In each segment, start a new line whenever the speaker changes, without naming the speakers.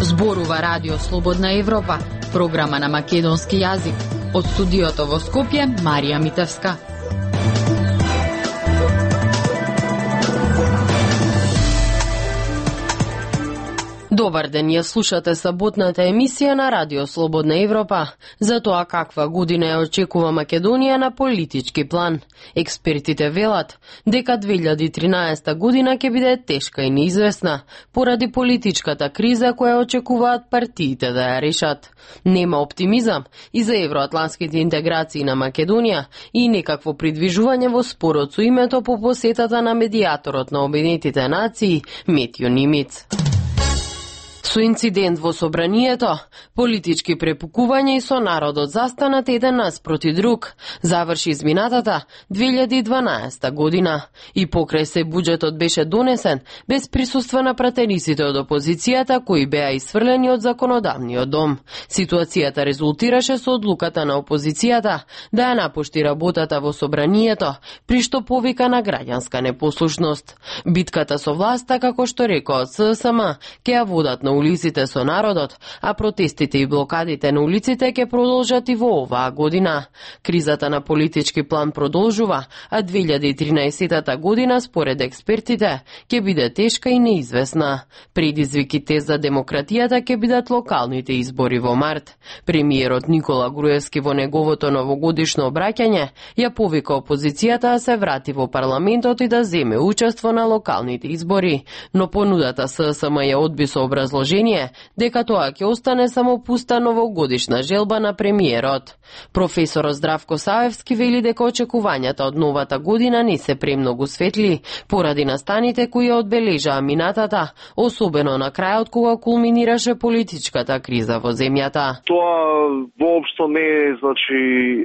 Зборува Радио Слободна Европа, програма на македонски јазик. Од студиото во Скопје, Марија Митевска. Добар ден, ја слушате саботната емисија на Радио Слободна Европа за тоа каква година ја очекува Македонија на политички план. Експертите велат дека 2013 година ќе биде тешка и неизвестна поради политичката криза која очекуваат партиите да ја решат. Нема оптимизам и за евроатлантските интеграции на Македонија и некакво придвижување во спорот со името по посетата на медијаторот на Обединетите нации Метјо Нимиц. Со инцидент во собранието, политички препукувања и со народот застанат еден наспроти друг, заврши изминатата 2012 година. И покрај се буџетот беше донесен без присуство на пратениците од опозицијата кои беа исфрлени од законодавниот дом. Ситуацијата резултираше со одлуката на опозицијата да ја напушти работата во собранието, при што повика на граѓанска непослушност. Битката со власта, како што рекоа ССМ, ќе ја водат на улиците со народот, а протестите и блокадите на улиците ќе продолжат и во оваа година. Кризата на политички план продолжува, а 2013 година, според експертите, ќе биде тешка и неизвестна. Предизвиките за демократијата ќе бидат локалните избори во март. Премиерот Никола Груевски во неговото новогодишно обраќање ја повика опозицијата да се врати во парламентот и да земе учество на локалните избори, но понудата ССМ ја одби со образложение дека тоа ќе остане само пуста новогодишна желба на премиерот. Професорот Здравко Саевски вели дека очекувањата од новата година не се премногу светли поради настаните кои ја одбележаа минатата, особено на крајот кога кулминираше политичката криза во земјата.
Тоа воопшто не е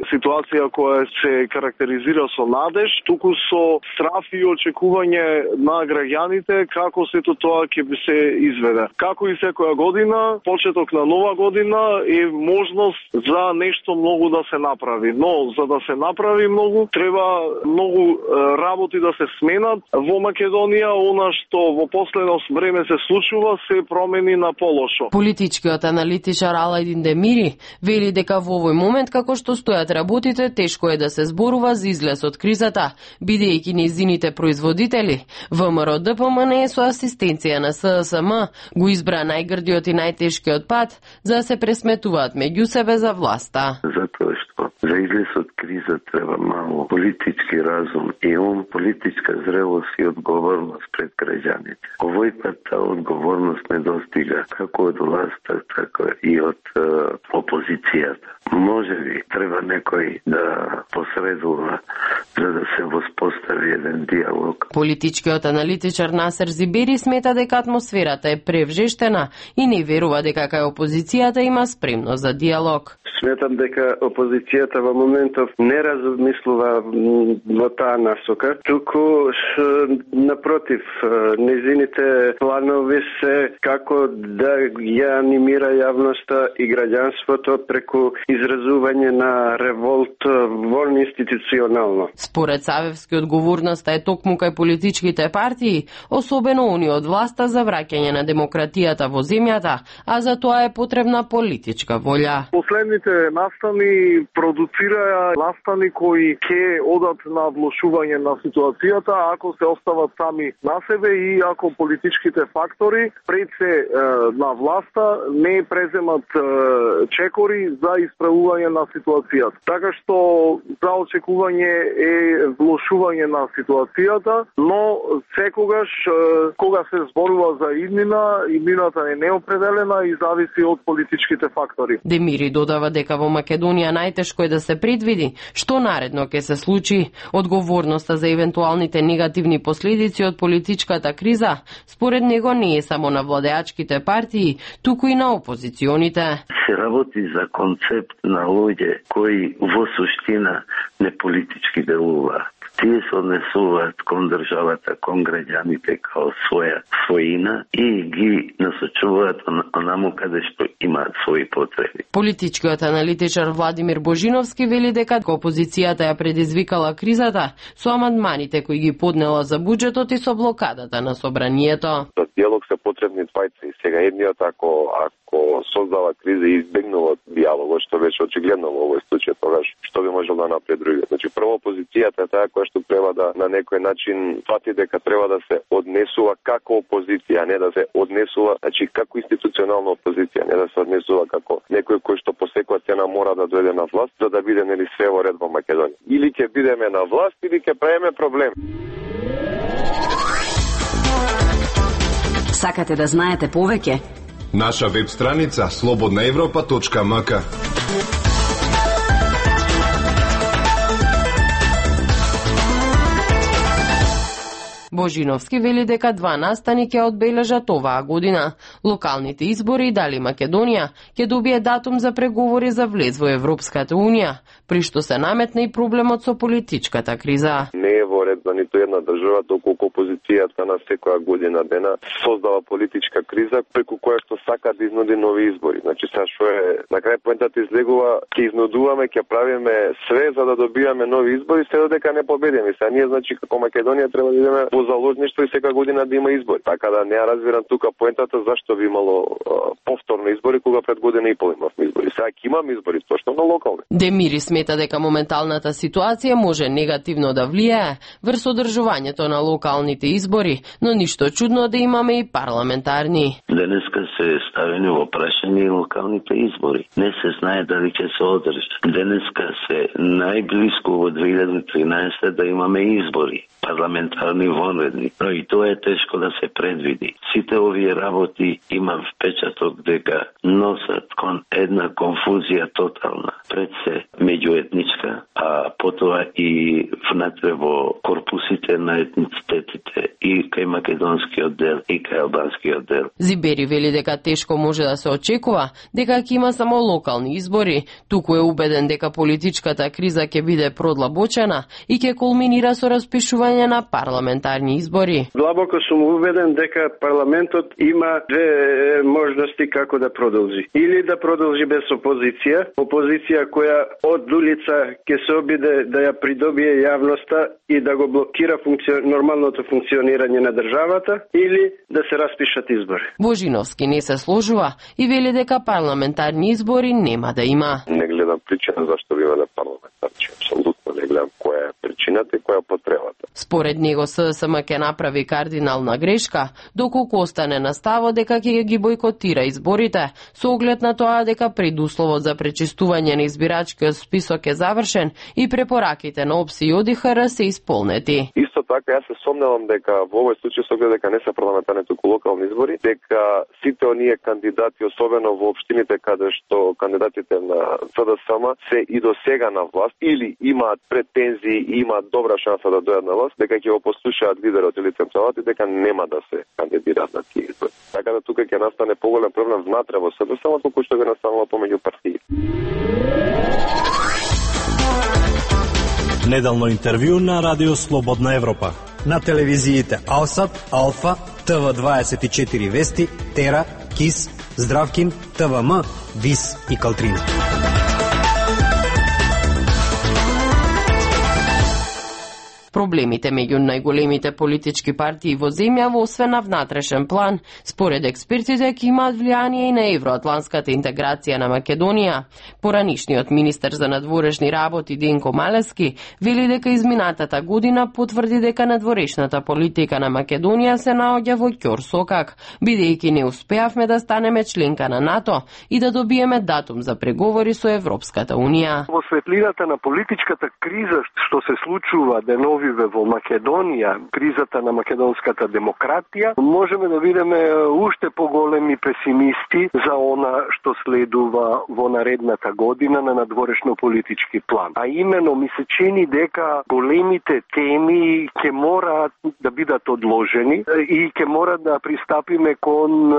ситуација која се карактеризира со надеж, туку со страф и очекување на граѓаните како сето тоа ќе би се изведе. Како и секоја година, почеток на нова година е можност за нешто многу да се направи. Но за да се направи многу, треба многу работи да се сменат. Во Македонија, она што во последно време се случува, се промени на полошо.
Политичкиот аналитичар Алајдин Демири вели дека во овој момент, како што стојат работите, тешко е да се зборува за излез од кризата, бидејќи нејзините производители, ВМРО ДПМН со асистенција на ССМ, го избра најгрдиот и најтешкиот пат за да се пресметуваат меѓу себе за власта.
Затоа што за излез од криза треба мало политички разум и политичка зрелост и одговорност пред граѓаните. Овој пат таа одговорност не достига како од власта, така и од опозицијата. Може би треба некој да посредува за да се воспостави еден диалог.
Политичкиот аналитичар Насер Зибери смета дека атмосферата е превжештена и не верува дека кај опозицијата има спремност за диалог.
Сметам дека опозицијата во моментов не размислува во таа насока, туку напротив, незините планови се како да ја анимира јавноста и граѓанството преку изразување на револт вон институционално.
Според Савевски, одговорноста е токму кај политичките партии, особено они од власта за враќање на демократијата во земјата, а за тоа е потребна политичка волја.
Последните настани продуцираја настани кои ќе одат на влошување на ситуацијата ако се остават сами на себе и ако политичките фактори пред се на власта не преземат чекори за исправување на ситуацијата. Така што за очекување е влошување на ситуацијата, но секогаш кога се зборува за иднината е неопределена и зависи од политичките фактори.
Демири додава дека во Македонија најтешко е да се предвиди што наредно ќе се случи. Одговорноста за евентуалните негативни последици од политичката криза според него не е само на владеачките партии, туку и на опозиционите.
Се работи за концепт на луѓе кои во суштина не политички делуваат. Тие се однесуваат кон државата, кон граѓаните као своја својина и ги насочуваат онаму каде што имаат своји потреби.
Политичкиот аналитичар Владимир Божиновски вели дека опозицијата ја предизвикала кризата со амандманите кои ги поднела за буџетот и со блокадата на собранието.
За диалог се потребни двајца и сега едниот ако создава криза и избегнува диалогот, што беше очигледно во овој случај, тогаш што би можел да направи другиот. Значи прво опозицијата е таа која што треба да на некој начин фати дека треба да се однесува како опозиција, а не да се однесува, значи како институционална опозиција, не да се однесува како некој кој што по секоја цена мора да дојде на власт за да биде нели све во ред во Македонија. Или ќе бидеме на власт или ќе правиме проблем.
Сакате да знаете повеќе?
Наша веб страница slobodnaevropa.mk.
Божиновски вели дека два настани ќе одбележат оваа година. Локалните избори дали Македонија ќе добие датум за преговори за влез во Европската Унија, при што се наметна и проблемот со политичката криза.
Не е во ред за ниту една држава доколку опозицијата на секоја година дена создава политичка криза преку која што сака да изнуди нови избори. Значи сега што е на крај поентата излегува, ќе изнудуваме, ќе правиме све за да добиваме нови избори, се додека не победиме. Сега ние значи како Македонија треба да идеме во заложништво и секоја година да има избори. Така да не ја разбирам тука поентата зашто би имало повторно избори кога пред година и пол имавме избори. Сега ќе имаме избори точно на локални.
Демири смета дека моменталната ситуација може негативно да влијае врз одржувањето на локалните избори, но ништо чудно да имаме и парламентарни.
Денеска се ставени во прашање и локалните избори. Не се знае дали ќе се одржат. Денеска се најблиску во 2013 да имаме избори, парламентарни вонредни, но и тоа е тешко да се предвиди. Сите овие работи имам впечаток дека носат кон една конфузија тотална. Пред се меѓуетничка, а потоа и внатре во корпусите на етницитетите и кај македонскиот дел и кај албанскиот дел.
Зибери вели дека тешко може да се очекува дека ќе има само локални избори, туку е убеден дека политичката криза ќе биде продлабочена и ќе кулминира со распишување на парламентарни избори.
Длабоко сум убеден дека парламентот има две можности како да продолжи. Или да продолжи без опозиција која од улица ќе се обиде да ја придобие јавноста и да го блокира нормалното функционирање на државата, или да се распишат избори.
Божиновски не се сложува и вели дека парламентарни избори нема да има.
Не гледам причина зашто би имале парламентарни. Апсолутно не гледам која е причината и која е потребата.
Според него ССМ ќе направи кардинална грешка, доколку остане на ставот дека ќе ги бойкотира изборите, со оглед на тоа дека предусловот за пречистување на избирачкиот список е завршен и препораките на ОПС и ОДИХР се исполнети.
Исто така, јас се сомневам дека во овој случај со оглед дека не се парламентарни туку локални избори, дека сите оние кандидати, особено во општините каде што кандидатите на СДСМ се и до сега на власт или имаат претензии и имаат добра шанса да дојдат на власт, дека ќе го послушаат лидерот или централата и дека нема да се кандидираат на тие избори. Така да тука ќе настане поголем проблем внатре во СДСМ, колку што би настанало помеѓу партии.
Неделно интервју на Радио Слободна Европа. На телевизиите Алсат, Алфа, ТВ24 Вести, Тера, КИС, Здравкин, ТВМ, ВИС и Калтрина.
Проблемите меѓу најголемите политички партии во земјава, освен на внатрешен план, според експертите ќе имаат влијание и на евроатланската интеграција на Македонија. Поранишниот министер за надворешни работи Денко Малески вели дека изминатата година потврди дека надворешната политика на Македонија се наоѓа во ќорсокак, бидејќи не успеавме да станеме членка на НАТО и да добиеме датум за преговори со Европската Унија.
Во светлината на политичката криза што се случува денови во Македонија, кризата на македонската демократија, можеме да видиме уште поголеми песимисти за она што следува во наредната година на надворешно политички план. А именно ми се чини дека големите теми ќе мораат да бидат одложени и ќе мора да пристапиме кон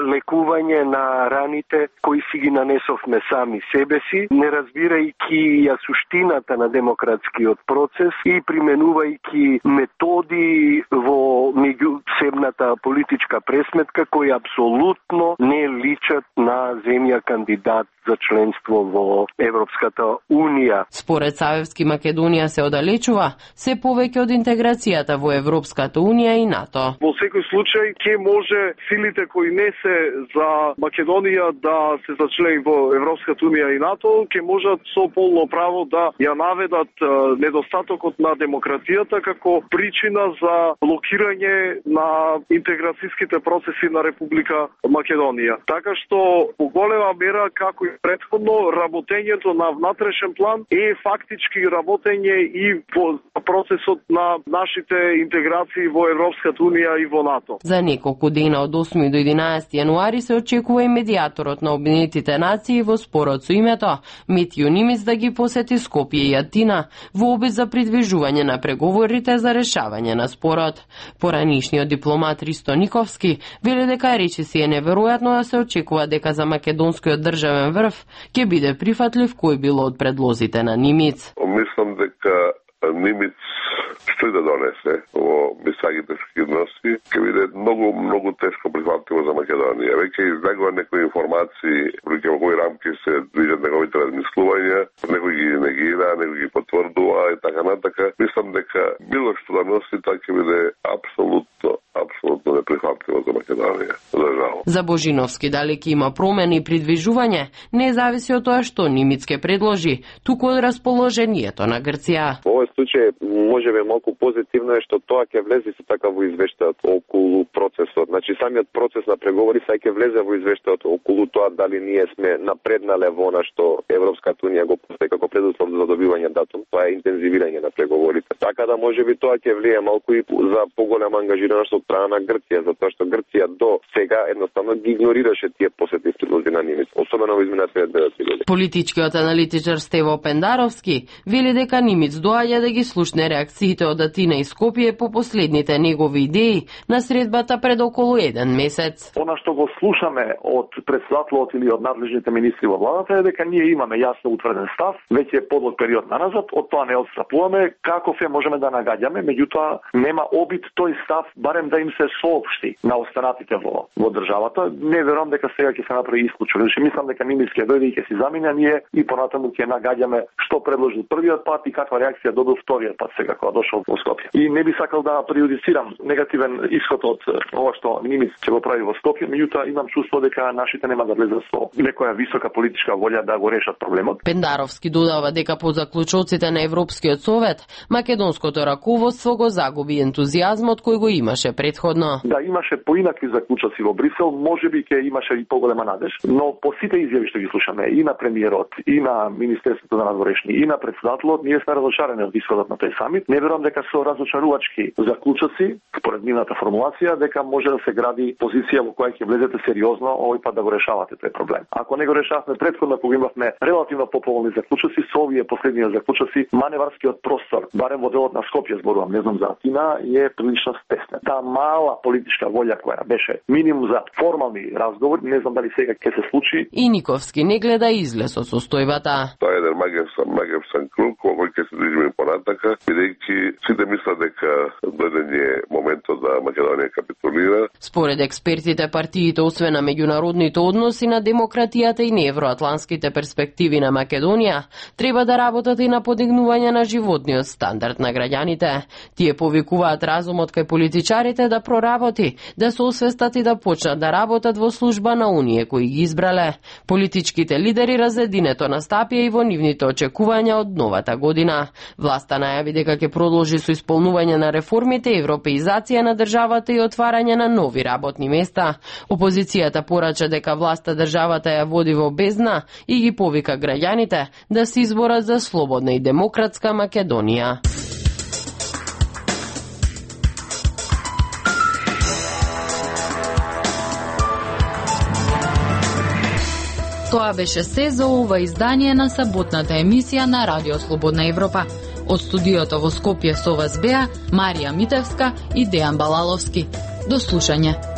лекување на раните кои си ги нанесовме сами себе си, не разбирајќи ја суштината на демократскиот процес и применување применувајќи методи во меѓусебната политичка пресметка кои апсолутно не личат на земја кандидат за членство во Европската Унија.
Според Савевски, Македонија се оддалечува се повеќе од интеграцијата во Европската Унија и НАТО.
Во секој случај ќе може силите кои не се за Македонија да се зачлени во Европската Унија и НАТО, ќе можат со полно право да ја наведат недостатокот на демократијата како причина за блокирање на интеграцијските процеси на Република Македонија. Така што по голема мера како и претходно работењето на внатрешен план е фактички работење и по процесот на нашите интеграции во Европската Унија и во НАТО.
За неколку дена од 8 до 11 јануари се очекува и медијаторот на Обединетите нации во спорот со името Метју Нимиц да ги посети Скопје и Атина во обид за придвижување на преговорите за решавање на спорот. Поранишниот дипломат Ристо Никовски вели дека речиси е неверојатно да се очекува дека за македонскиот државен врв ќе биде прифатлив кој било од предлозите на Нимиц.
Мислам дека Нимиц што да донесе во мисагите односи, ќе биде многу тешко прифатливо за Македонија. Веќе избегува некои информации, во кои рамки се движат неговите размислувања, некои ги негира, некои ги потврдува и така натака. Мислам дека било што да носи, тоа ќе биде апсолутно неприфатливо за Македонија. За жал.
За Божиновски дали ќе има промени и придвижување, не зависи од тоа што Нимиц ќе предложи, туку од расположението на Грција.
Во овој случај можеби малку позитивно е што тоа ќе влезе се така во извештајот околу процесот. Значи самиот процес на преговори сега ќе влезе во извештајот околу тоа дали ние сме напреднале во она што Европската Унија го постави како предуслов за добивање датум. Тоа е интензивирање на преговорите. Така да можеби тоа ќе влие малку и за поголема ангажираност од страна на Грција, затоа што Грција до сега едноставно ги игнорираше тие посети предлози на Нимиц, особено во изминатите 9 години.
Политичкиот аналитичар Стево Пендаровски вели дека Нимиц доаѓа да ги слушне реакциите од Атина и Скопје по последните негови идеи на средбата пред околу 1 месец.
Она што го слушаме од претседателот или од надлежните министри во владата е дека ние имаме јасно утврден став, веќе подлог период наназад, од тоа не отстапуваме, каков е можеме да нагаѓаме, меѓутоа нема обид тој став барем да им се соопшти на останатите во државата. Не верувам дека сега ќе се направи исклучок. Значи мислам дека Нимиц ќе дојде и ќе си замине, ние и понатаму ќе нагаѓаме што предложил првиот пат и каква реакција добил вториот пат сега кога дошол во Скопје. И не би сакал да прејудицирам негативен исход од ова што Нимиц ќе го прави во Скопје, меѓутоа имам чувство дека нашите нема да влезат со некоја висока политичка волја да го решат проблемот.
Пендаровски додава дека по заклучоците на Европскиот совет македонското раководство го загуби ентузијазмот кој го имаше претходно.
Да, имаше поинакви заклучоци во Брисел, можеби ќе имаше и поголема надеж, но по сите изјави што ги слушаме и на премиерот, и на Министерството за надворешни, и на претседателот, ние сме разочарени од исходот на тој самит. Не верувам дека со разочарувачки заклучоци, според нивната формулација, дека може да се гради позиција во која ќе влезете сериозно овој пат да го решавате тој проблем. Ако не го решавме претходно, кога имавме релативно поповолни заклучоци, со овие последни заклучоци, маневарскиот простор, барем во делот на Скопје зборувам, не знам за Атина, е прилично стеснет. Таа мала политичка волја која беше минимум за формални разговори, не знам дали сега ќе се случи.
И Никовски не гледа излез од состојбата.
Тоа е еден магевсан круг во кој ќе се движиме понатака, бидејќи сите мислат дека доден е моментот да Македонија капитулира.
Според експертите, партиите освен на меѓународните односи, на демократијата и на евроатланските перспективи на Македонија, треба да работат и на подигнување на животниот стандард на граѓаните. Тие повикуваат разумот кај политичарите да проработи, да се освестат и да почнат да работат во служба на оние кои ги избрале. Политичките лидери разединето настапија и во нивните очекувања од новата година. Власта најави дека ќе продолжи со исполнување на реформите, европеизација на државата и отварање на нови работни места. Опозицијата порача дека власта државата ја води во бездна и ги повика граѓаните да се изборат за слободна и демократска Македонија.
Тоа беше се за ова издание на саботната емисија на Радио Слободна Европа. Од студиото во Скопје со вас беа Марија Митевска и Дејан Балаловски. До слушање.